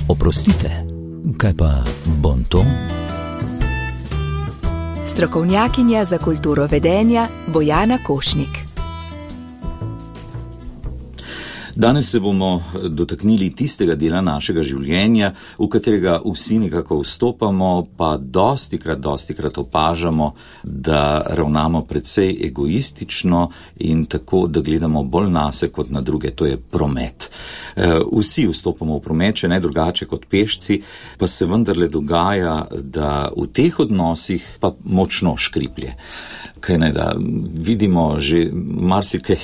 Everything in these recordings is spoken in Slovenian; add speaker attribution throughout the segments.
Speaker 1: Oprostite, kaj pa bonton?
Speaker 2: Strokovnjakinja za kulturo vedenja Bojana Košnik.
Speaker 3: Danes se bomo dotaknili tistega dela našega življenja, v katerega vsi nekako vstopamo, pa dostikrat opažamo, da ravnamo precej egoistično in tako, da gledamo bolj nase kot na druge, to je promet. Vsi vstopamo v promet, če ne drugače kot pešci, pa se vendarle dogaja, da v teh odnosih pa močno škriplje. Kaj ne, da vidimo že marsikaj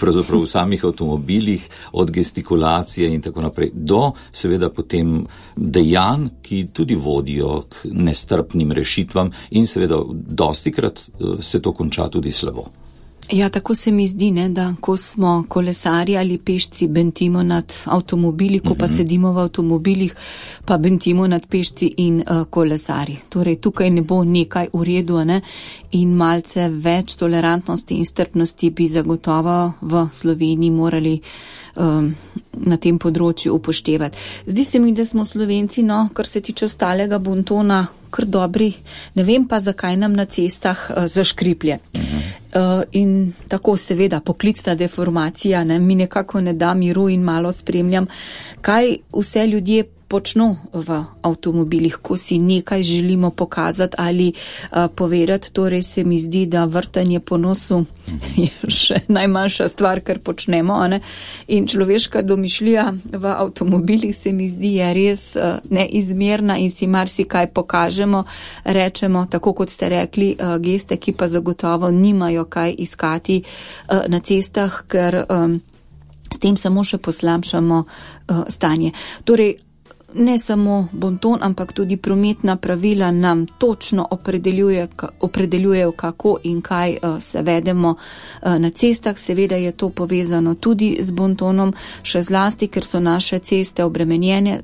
Speaker 3: pravzaprav v samih avtomobilih, od gestikulacije in tako naprej, do seveda potem dejanj, ki tudi vodijo k nestrpnim rešitvam in seveda dostikrat se to konča tudi slabo.
Speaker 4: Ja, tako se mi zdi, ne, da ko smo kolesarji ali pešci, bentimo nad avtomobili, ko pa sedimo v avtomobilih, pa bentimo nad pešci in kolesarji. Torej, tukaj ne bo nekaj v redu, ne, in malce več tolerantnosti in strpnosti bi zagotovo v Sloveniji morali na tem področju upoštevati. Zdi se mi, da smo Slovenci, kar se tiče ostalega bontona, kar dobri, ne vem pa, zakaj nam na cestah zaškriplje. In tako seveda poklicna deformacija, ne, mi nekako ne da miru in malo spremljam, kaj vse ljudje počno v avtomobilih, ko si nekaj želimo pokazati ali povedati. Torej se mi zdi, da vrtanje po nosu je še najmanjša stvar, kar počnemo, ne? In človeška domišljija v avtomobilih se mi zdi je res neizmerna in si marsikaj pokažemo, rečemo, tako kot ste rekli, geste, ki pa zagotovo nimajo kaj iskati na cestah, ker s tem samo še poslabšamo stanje. Torej, ne samo bonton, ampak tudi prometna pravila nam točno opredeljujejo, kako in kaj se vedemo na cestah. Seveda je to povezano tudi z bontonom, še zlasti, ker so naše ceste obremenjene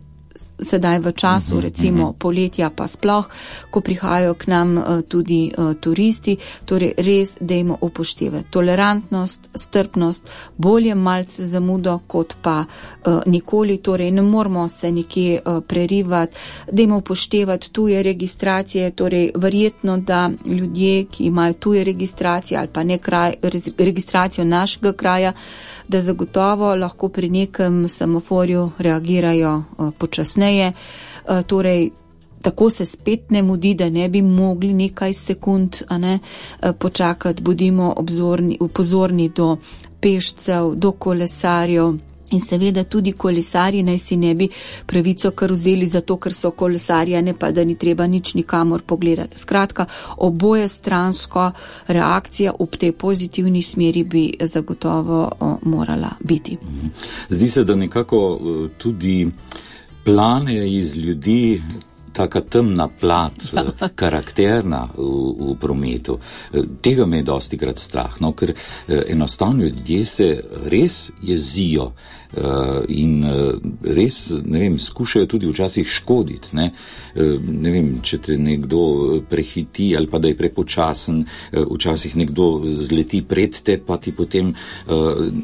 Speaker 4: sedaj v času, recimo poletja pa sploh, ko prihajajo k nam tudi turisti. Torej res dajmo upoštevati tolerantnost, strpnost, bolje malce zamudo kot pa nikoli. Torej ne moramo se nekje prerivati, dajmo upoštevati tuje registracije. Torej verjetno, da ljudje, ki imajo tuje registracije ali pa registracijo našega kraja, da zagotovo lahko pri nekem semaforju reagirajo počasneje. Torej, tako se spet ne mudi, da ne bi mogli nekaj sekund počakati. Bodimo pozorni do pešcev, do kolesarjev. In seveda tudi kolesarji naj si ne bi pravico kar vzeli zato, ker so kolesarji, ne pa da ni treba nič nikamor pogledati. Skratka, oboje stransko reakcija ob tej pozitivni smeri bi zagotovo morala biti.
Speaker 3: Zdi se, da nekako tudi plane iz ljudi taka temna plat, karakterna v prometu. Tega me je dostikrat strah, ker enostavno ljudje se res jezijo in res, ne vem, skušajo tudi včasih škoditi, ne vem, če te nekdo prehiti ali pa da je prepočasen, včasih nekdo zleti pred te, pa ti potem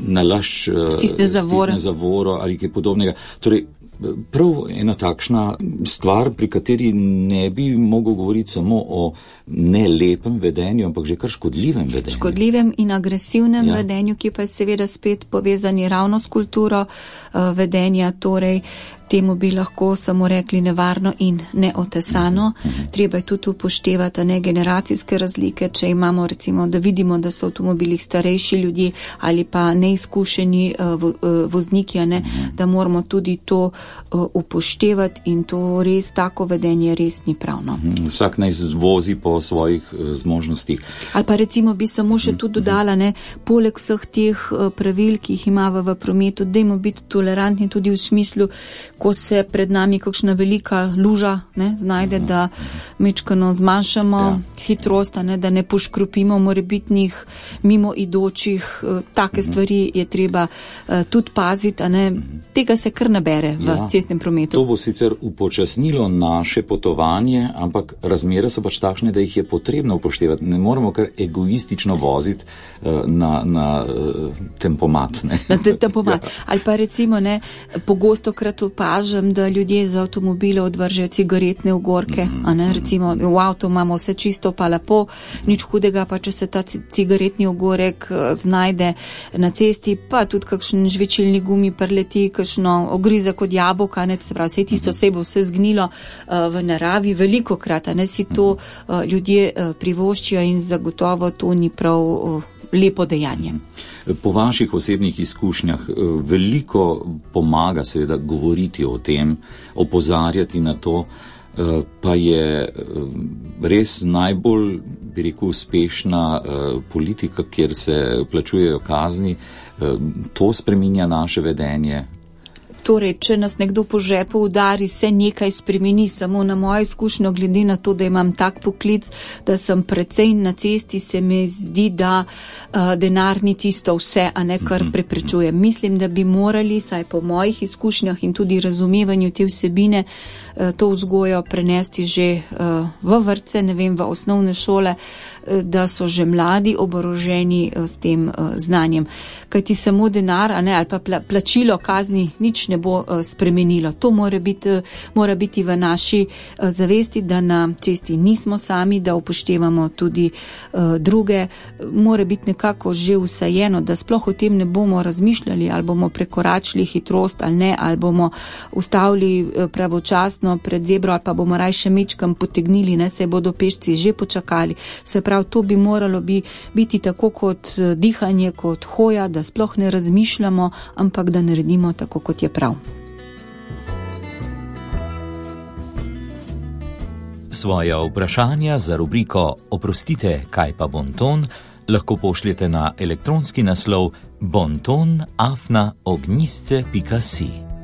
Speaker 3: nalašč stisne zavoro ali kaj podobnega. Torej, prav ena takšna stvar, pri kateri ne bi mogel govoriti samo o nelepem vedenju, ampak že kar škodljivem vedenju.
Speaker 4: Škodljivem in agresivnem vedenju, ki pa je seveda spet povezani ravno s kulturo vedenja, torej temu bi lahko samo rekli nevarno in neotesano. Treba je tudi upoštevati generacijske razlike, če imamo recimo, da vidimo, da so v avtomobilih starejši ljudje ali pa neizkušeni vozniki, da moramo tudi to upoštevati in to res, tako vedenje res ni pravno.
Speaker 3: Vsak naj vozi po svojih zmožnostih.
Speaker 4: Ali pa recimo bi samo še tudi dodala, poleg vseh teh pravil, ki jih imamo v prometu, dajmo biti tolerantni tudi v smislu, ko se pred nami kakšna velika luža znajde, da mečkano zmanjšamo hitrost, da ne poškropimo morebitnih mimoidočih. Take stvari je treba tudi paziti, tega se kar nabere v cestnem prometu.
Speaker 3: To bo sicer upočasnilo naše potovanje, ampak razmere so pač takšne, da jih je potrebno upoštevati. Ne moramo kar egoistično voziti na tempomat.
Speaker 4: Na tempomat. Ali pa recimo, pogosto krat opažam, da ljudje z avtomobile odvržejo cigaretne ogorke, a ne, recimo v avto imamo vse čisto pa lepo, nič hudega, pa če se ta cigaretni ogorek znajde na cesti, pa tudi kakšen žvečilni gumi preleti, kakšno ogrizek od jabolka, ne, to se pravi, vse tisto se bo vse zgnilo v naravi, velikokrat, a ne, si to ljudje privoščijo in zagotovo to ni prav lepo dejanje.
Speaker 3: Po vaših osebnih izkušnjah veliko pomaga seveda govoriti o tem, opozarjati na to, pa je res najbolj, bi rekel, uspešna politika, kjer se plačujejo kazni, to spreminja naše vedenje.
Speaker 4: Torej, če nas nekdo po žepu udari, se nekaj spremeni, samo na mojo izkušnjo, glede na to, da imam tak poklic, da sem precej na cesti, se mi zdi, da denar ni tisto vse, a ne kar preprečuje. Mislim, da bi morali, saj po mojih izkušnjah in tudi razumevanju te vsebine, to vzgojo prenesti že v vrtce, ne vem, v osnovne šole, da so že mladi oboroženi s tem znanjem. Kajti samo denar, a ne, ali pa plačilo kazni nič ne bo spremenilo. To mora biti v naši zavesti, da na cesti nismo sami, da upoštevamo tudi druge. Mora biti nekako že vsajeno, da sploh o tem ne bomo razmišljali, ali bomo prekoračili hitrost ali ne, ali bomo ustavili pravočasno pred zebro, ali pa bomo raje še mečkam potegnili, ne, se bodo pešci že počakali. Se pravi, to bi moralo biti tako kot dihanje, kot hoja, da sploh ne razmišljamo, ampak da naredimo tako, kot je prav.
Speaker 1: Svoja vprašanja za rubriko Oprostite, kaj pa bonton, lahko pošljete na elektronski naslov bonton@ognjisce.si.